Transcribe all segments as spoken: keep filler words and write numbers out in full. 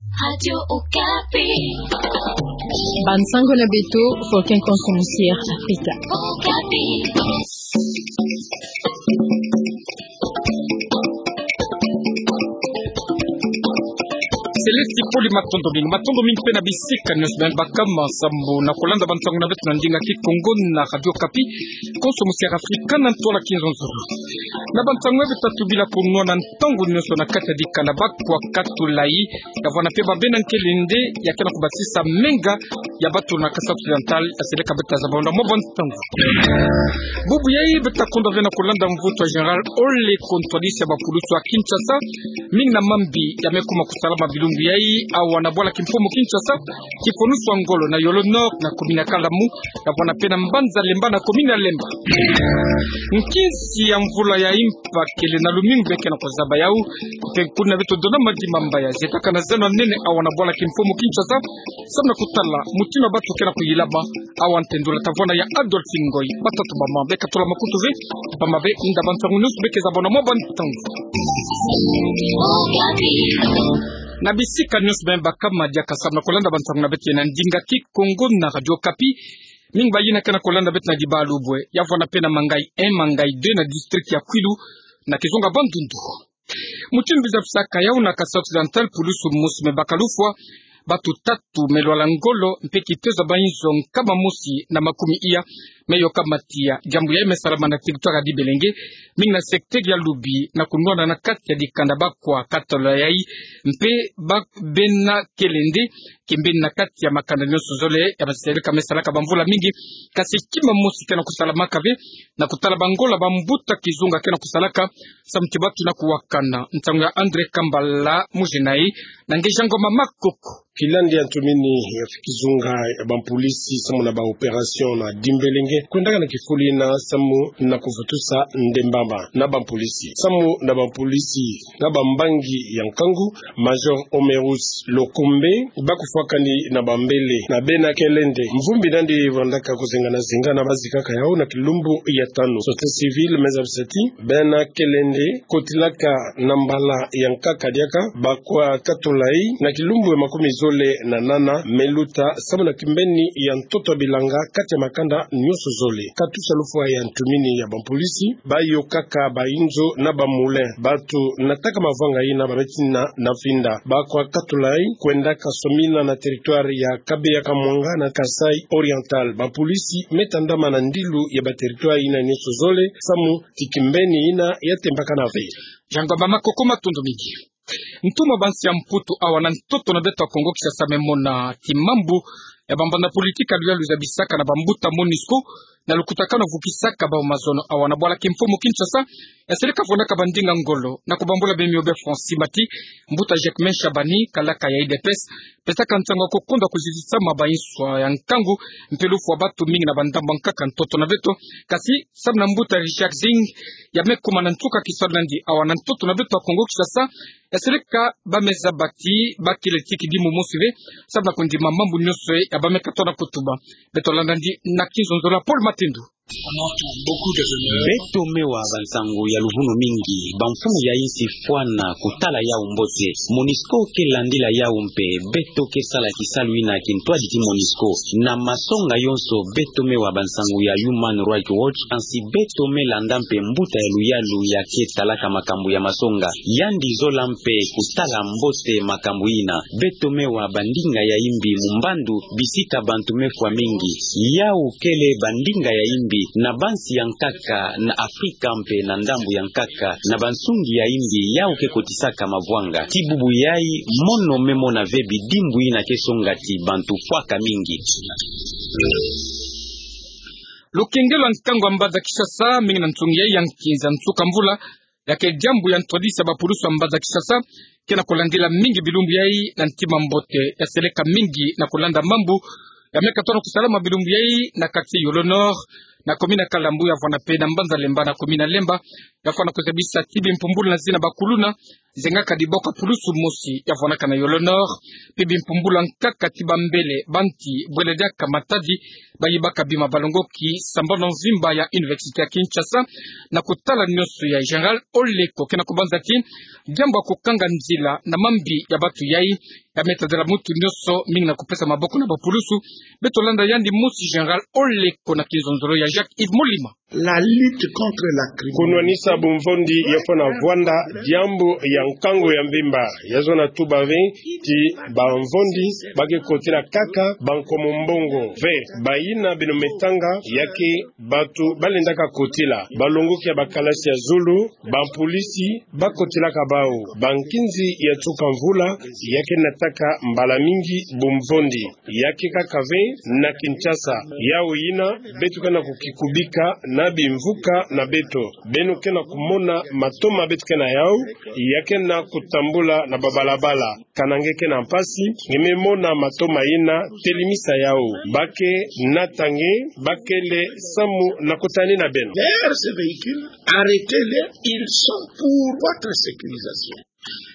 Radio Okapi. Bansango na beto, Fokin Konso Musi ya Afrika. Okapi. Céleste Poli, matondo mingi, matondo mingi pe na bisika nyonso beno baka ma sambu na kolanda bansango na beto na ndinga Kikongo na Radio Okapi. Konso Musi ya Afrika na ntwala Kinzonzolo. Na bansango ya beto tatu bila kunwana ntangu nyonso na kati ya dikanda bakwa katolai, ya vwanda pe ba bena nkelende ya ke na kubasisa menga ya bato na Kasaï Occidental, ya seleka beto tazaba na mwa bansango. Bubu yayi beto ta kondwa ve na kolanda mvutu ya Général Ole, kontwalisi ya bapulusu ya Kinshasa, mingi na mambi ya me kuma kusalama bilumbu yayi awa na bwala kimfumu Kinshasa, kifonusu ya ngolo na Yolo Nord, na commune ya Kalamu, ya vwanda pe na mbanza Lemba na commune ya Lemba. Nkinsi ya mvula ya impa kele na lumingu be ke na kuzaba yawu, pe kuna beto dona madi mamba ya zietaka na zeno ya nene awa na bwala kimfumu Kinshasa, samu na kutala mutindu ya bato ke na kuyilama. Awa ntendula tavwanda ya Adolphe Ngoy, batatu bamama be katula makutu ve, bamama be nda bansango nyonso be ke zaba na mwa bansango. Na bisika nyonso beno baka ma diaka samu na kolanda bansango na beto na ndinga Kikongo na Radio Okapi. Mingi bayina ke na kolanda beto na Dibalubwe, ya vwanda pe na Mangayi un, Mangayi deux na district ya Kwilu, na kizunga Bandundu. Mutindu biza bisaka yawu na Kasaï Occidental, pulusu mosi me baka lufwa, bato tatu me lwala ngolo, mpe kitezo ya bayinzo nkama mosi na makumi iya me yoka matiya. Diambu yayi me salama na territoire ya Dibelenge, mingi na secteur ya Lubi, na kunwana na kati ya dikanda bakwa katolai, mpe ba bena nkelende, kimbeni na kati ya makanda nyonso zole ya baseleka me salaka bamvula mingi. Kasi kima mosi ke na kusalamaka ve, na kutala bangola bambuta kizunga ke na kusalaka, samu ti bato na kuwakana. Nsangu ya André Kambala Mujenayi, na ngeja ngoma Makoko. Kilandi ya ntumini ya kizunga ya bampolisi samu na ba opération na Dimbelenge, kwendaka na kifulu yina samu na kuvutusa ndembama na bampolisi. Samu na bampolisi na bambangi ya nkangu, Major Omerus Lokombe, bakufwakani na bambele na bena nkelende. Mvumbi nandi vandaka kuzenga na zinga na bazikaka yawu na kilumbu ya tanu. Société civile me zabisa ti bena nkelende kotilaka na mbala ya nkaka diaka bakwa katolai na kilumbu ya makumi zole na nana me luta, samu na kimbeni ya ntoto ya bilanga kati ya makanda nyonso zole. Katusa lufwa ya ntumini ya bampolisi, bayokaka bayinzo na ba moulin. Bato nataka mavanga yina ba beti na, na finda. Bakwa katolai kwendaka somina na territoire ya Kabeya Kamwanga na Kasaï Oriental. Bampolisi me tandama na ndilu ya ba territoire yina nyonso zole, samu ti kimbeni yina ya tembakana ve. Ngoma Makoko, matondo mingi. Ntumwa ya bansi ya Mputu awa na ntoto na beto ya Kongo Kinshasa me mona ti mambu ya bambanda politique ya luyalu zabisaka na bambuta MONUSCO, na lukutakanu ya vukisaka bau mazono awa na bwala kimfumu Kinshasa, ya seleka vwandaka bandinga ngolo na kubambula bemio be Francis Mati, mbuta Jacquemain Shabani, kalaka ya U D P S, pesaka nsangu ya kukondwa kuzizisama bayinswa ya nkangu, mpe lufwa bato mingi na bandambu ya nkaka ntoto na beto. Kasi samu na mbuta Richard Zing, ya me kuma na nsuka kisalu nandi awa na ntoto na beto ya Kongo Kinshasa, ya seleka ba me zaba ti bakele ti kidimu mosi ve, samu na kundima mambu nyonso ya ba me katono kutuba. Beto landa nandi na kinzonzolo ya Paul Matindu. Beto me wa bansangu ya luvunu mingi, bamfumu ya insi fwana kutala yau mbote. MONUSCO ke landila yau mpe beto ke sala kisalu yina kintwadi ti MONUSCO. Na masonga yonso beto me wa bansangu ya Human Rights Watch, kansi beto me landa mpe mbuta ya luyalu ya ke talaka makambu ya masonga. Yandi zola mpe kutala mbote makambu yina. Beto me wa bandinga ya imbi mu mbandu bisika bantu me fwa mingi. Yau kele bandinga ya imbi na bansi ya nkaka na Afrika mpe na ndambu ya nkaka, na bansungi ya imbi yau ke kotisaka mavwanga. Ti bubu yayi, mono me mona ve bidimbu yina ke songa ti bantu fwaka mingi. Lukengelo ya nkangu ya mbanza Kinshasa, mingi na nsungi yayi ya nkinza nsuka mvula, ya ke diambu ya ntwadisi ya bapulusu ya mbanza Kinshasa, ke na kulandila mingi bilumbu yayi na ntima mbote, ya seleka mingi na kulanda mambu ya me katono kusalama bilumbu yayi na quartier Yolo Nord, na commune ya Kalambu, ya vwanda mpe na mbanza Lemba, na commune ya Lemba, ya fwana kuzabisa ti bimpumbulu na zina bakuluna, Zengaka diboko ya pulusu mosi ya vwanakana yo L'Honneur, pe bimpumbula nkaka ti bambele banti bwele diaka Matadi, bayibaka bima balongoki sambanu mvimba ya Université ya Kinshasa, na kutala nionso ya Général Oleko ke na kubanza ti diambu ya kukanga nzila na mambi ya batu yai, ya meta dela mutu nionso mingi na kupesa maboko na bapulusu. Beto landa yandi mosi Général Oleko na kinzonzolo ya Jacques Yves Molima. La lutte contre la criminalité. Kunwanisa bumvondi ya fwana vwanda diambu ya nkangu ya mvimba. Ya zona tuba ve ti bamvondi ba ke kotila kaka bankomo mbongo ve. Bayina beno me tanga ya ke batu ba lendaka kotila, balongoki ya bakalasi ya zulu, bampulisi ba kotilaka bau, bankinzi ya tuka mvula, ya ke nataka mbala mingi bumvondi. Ya ke kaka ve na Kinshasa. Yau yina beto ke na kukikubika na bimvuka na beto. Beno ke na kumona matoma beto ke na yau, ya ke na kutambula na babalabala. Kana nge ke na mpasi, nge me mona matoma yina, telimisa yau. Ba ke nata nge, ba kele samu na kutanina beno. Derrière ces véhicules, arrêtez-les, ils sont pour votre sécurisation.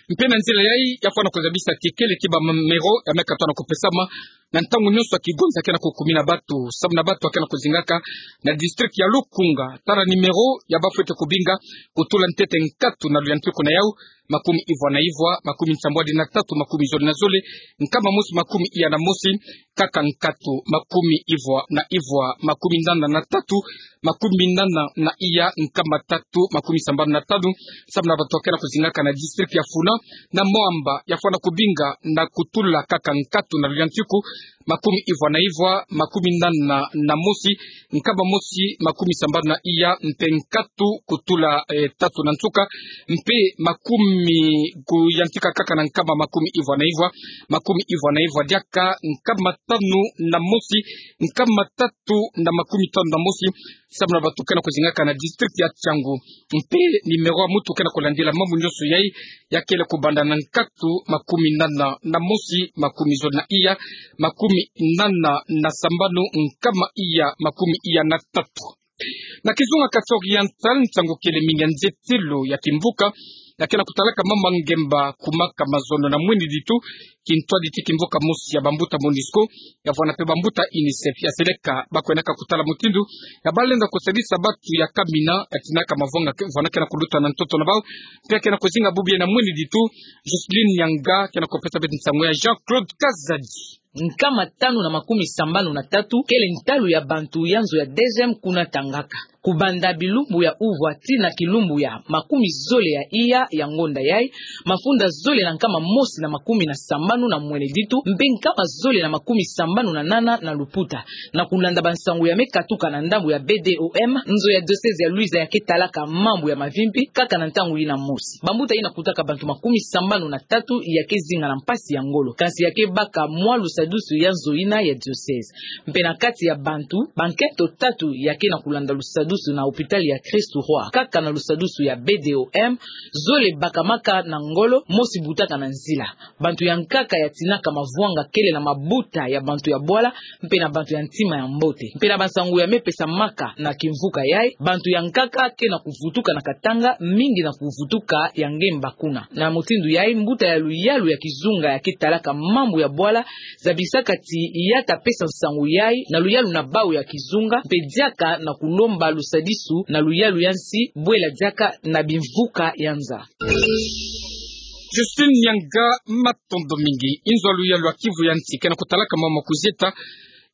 Mpe na nzila yai, ya fwana kuzabisa ti kele ti ba numéro ya me katuka na kupesama na ntangu nionso ya kigonza ke na kukumina batu, samu na batu ya ke na kuzingaka na district ya Lukunga. Tala numéro ya ba fwete kubinga, kutula ntete nkatu na luyantiku na yau: makumi ivwa na ivwa, makumi nsambwadi na tatu, makumi zole na zole, nkama mosi makumi iya na mosi, kaka nkatu, makumi ivwa na ivwa, makumi nana na tatu, makumi nana na iya, nkama tatu, makumi sambanu na tanu, samu na batu ya ke na kuzingaka na district ya Funa na Moamba. Ya fwana kubinga na kutula kaka nkatu na luyantiku: makumi ivwa na ivwa, makumi nana na mosi, nkama mosi makumi sambanu na iya, mpe nkatu kutula, eh, tatu na nsuka, mpe makumi, kuyantika kaka na nkama makumi ivwa na ivwa, makumi ivwa na ivwa diaka, nkama tanu na mosi, nkama tatu na makumi tanu na mosi, samu na batu ke na kuzingaka na district ya Tshangu. Mpe numéro ya mutu ke na kulandila mambu nionso yai, ya kele kubanda na nkatu makumi nana na mosi, makumi zole na iya, makumi nana na sambanu, nkama iya makumi iya na tatu. Na kizunga Kasai Oriental, nsangu kele mingi ya nzetelo ya kimvuka ya ke na kutalaka mama ngemba, kumaka mazono na mwini ditu, kintwadi ti kimvuka mosi ya bambuta MONUSCO, ya vwana mpe bambuta UNICEF, ya seleka ba kwenaka kutala mutindu ya ba lenda kusadisa batu ya kamina, ya tinaka mavwanga ke-, vwana ke na kuluta na ntoto na bau. Mpe ya ke na kuzinga bubu yai na mwini ditu, Jocelyne Nyanga ke na kupesa beto nsangu ya Jean-Claude Kazadi. Nkama tanu na makumi sambanu na tatu kele ntalu ya bantu ya nzo ya DGM kuna Tangaka. Kubanda bilumbu ya uvwa tii na kilumbu ya makumi zole ya iya ya ngonda yai, mafunda zole na nkama mosi na makumi na sambanu na mwini ditu, mpe nkama zole na makumi sambanu na nana na luputa, na kulanda bansangu ya me katuka na ndambu ya BDOM, nzo ya diocèse ya Luiza ya ke talaka mambu ya mavimpi, kaka na ntangu yina mosi, bambuta yina kutaka bantu makumi sambanu na tatu ya ke zinga na mpasi ya ngolo, kansi ya ke baka mwa lusadusu ya nzo yina ya diocèse. Mpe na kati ya bantu, bankento tatu ya ke na kulanda lusadusu na hôpital ya Christ Roi, kaka na lusadusu ya BDOM, zole bakamaka na ngolo, mosi butaka na nzila. Bantu ya nkaka ya tinaka mavwanga kele na mabuta ya bantu ya bwala, mpe na bantu ya ntima ya mbote. Mpe na bansangu ya me pesamaka na kimvuka yai, bantu ya nkaka ke na kuvutuka na Katanga, mingi na kuvutuka ya ngemba kuna. Na mutindu yai, mbuta ya luyalu ya kizunga ya ke talaka mambu ya bwala zabisaka ti ya ta pesa nsangu yai na luyalu na bau ya kizunga, mpe diaka na kulomba lusadisu na luyalu ya nsi, bwela diaka na bimvuka ya nza. Justine Nyanga, matondo mingi. Inzo ya luyalu ya Kivu ya nsi ke na kutalaka mama kuzieta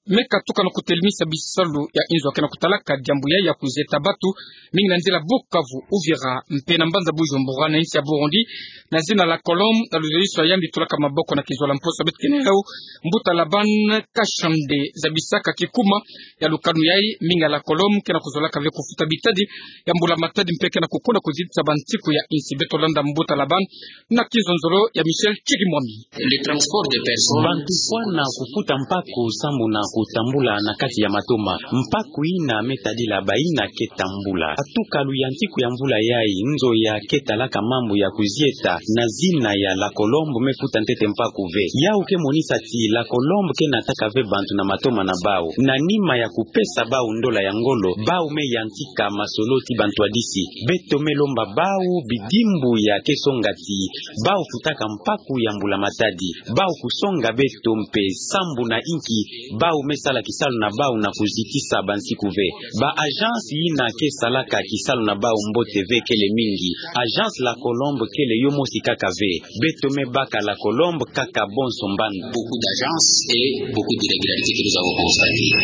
me katuka na kutelimisa bisalu ya inzo ya ke na kutalaka diambu yai ya kuzieta batu, mingi na nzila Bukavu, Uvira, mpe na mbanza Bujumbura, na insi ya Burundi, na zina la Colombe, na luzoliso ya yandi tulaka maboko na kizola mposo. Beto ke na yau, mbuta Laban Kashande, zabisaka kikuma ya lukanu yai, mingi ya la Colombe ke na kuzolaka ve kufuta bitadi ya mbula-matadi, mpe ke na kukuna kuzitisa bansiku ya insi. Beto landa mbuta Laban na kinzonzolo ya Michel Chirimwami. Le transport des personnes. Bantu fwana kufuta mpako sambu na kutambula na kati ya matoma. Mpaku ina me tadila baina ke tambula. Atukalu ya ntiku ya mvula yai, nzo ya ke talaka mambu ya kuzieta na zina ya La Colombe me futa ntete mpaku ve. Yau ke monisa ti La Colombe ke nataka ve bantu na matoma na bau. Na nima ya kupesa bau ndola ya ngolo, bau me yantika masolo ti bantu adisi. Beto me lomba bau bidimbu ya ke songa ti bau futaka mpaku ya mbula matadi. Bau kusonga beto mpe sambu na inki, bau me sala kisalu na bau na kuzitisa bansiku ve. Ba agence ina ke salaka kisalu na bau mbote ve kele mingi. Agence La Colombe kele yo mosi kaka ve. Beto me baka La Colombe kaka bonso mbandu. Beaucoup d'agences et beaucoup d'irrégularités que nous avons constatées.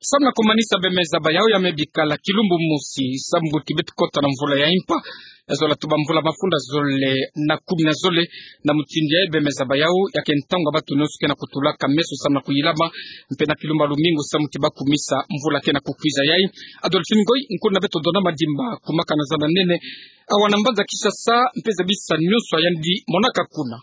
Samu na kumanisa bemeza ba yau ya me bikala kilumbu mosi, sambu ti beto kota na mvula ya impa, ya zola tuba mvula mafunda zole na kumi na zole. Na mutindu yai bemeza ba yau ya ke ntangu ya batu nyonso ke na kutulaka meso samu na kuyilama, mpe na kilumbu ya lumingu samu ti bakumisa mvula ke na kukwiza yai. Adolphine Ngoy, nkuna beto Dona Madimba, kumaka na zanda nene awa na mbanza Kinshasa, mpe zabisa nyonso yandi monaka kuna.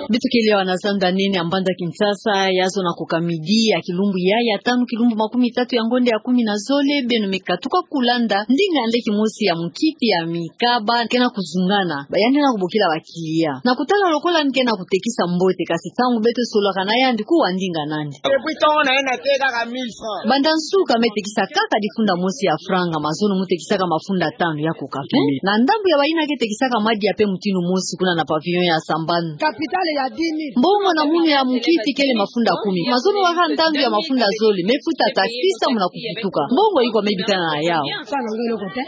Beto kele awa na zanda nene ya mbanza Kinshasa, ya zona ku kamidi ya kilumbu yai ya tanu, kilumbu makumi tatu ya ngonda ya kumi na zole. Beno me katuka kulanda ndinga nde kimosi ya mukiti ya mikaba ke na kuzungana, ba yandi na kubokila ba clients. Na kutala lokola yandi ke na kutekisa mbote, kasi ntangu beto solaka na yandi, kuwa ndinga nandi. Depuis ntangu na ye na teka kaka mille francs. Banda nsuka me tekisa kaka difunda mosi ya franga, mazono mu tekisaka mafunda tanu ya kokafe. Na ndambu ya bayina ke tekisaka madia mpe mutindu mosi kuna na pavillon ya Sambanu. Capitale ya dix mille. Mbongo na munu ya mukiti kele mafunda kumi. Mazono waka ntandu ya mafunda zole, me futa taxi samu na kufutuka. Mbongo ikwa me bikana na yau.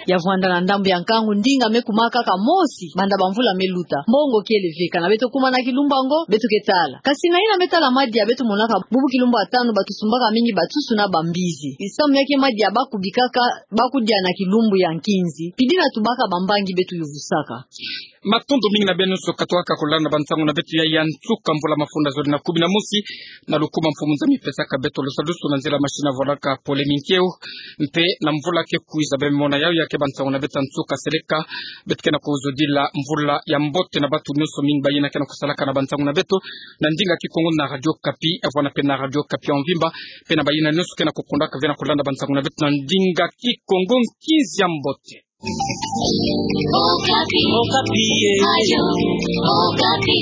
Ya vwanda na ndambu ya nkangu, ndinga me kumaka kaka mosi banda bamvula me luta. Mbongo kele ve. Kana beto kuma na kilumbu yango, beto ke tala. Kasi na yina me tala madia, beto monaka bubu kilumbu ya tanu batu sumbaka mingi batusu na bambizi. Samu ya ke madia baku bikaka, baku dia na kilumbu ya nkinzi. Pidi na tubaka bambangi beto yuvusaka. Matondo mingi na beno nyonso katwaka kulanda bansangu na beto ya, ya nsuka mvula mafunda zole na kumi na mosi. Na lukumu Mfumu Nzambi pesaka beto lusadusu na nzila machine vwalaka pole minkeo. Mpe na mvula ke kwiza, beno mona yau ya ke bansangu na beto ya nsuka seleka. Beto ke na kuzodila mvula ya mbote na batu nyonso mingi bayina ke na kusalaka na bansangu na beto na ndinga Kikongo na Radio Okapi, ya vwanda mpe na Radio Okapi ya mvimba, mpe na bayina nyonso ke na kukundaka ve na kulanda bansangu na beto na ndinga Kikongo. Nkinzi ya mbote. Okapi. Okapi, eh. Radio Okapi.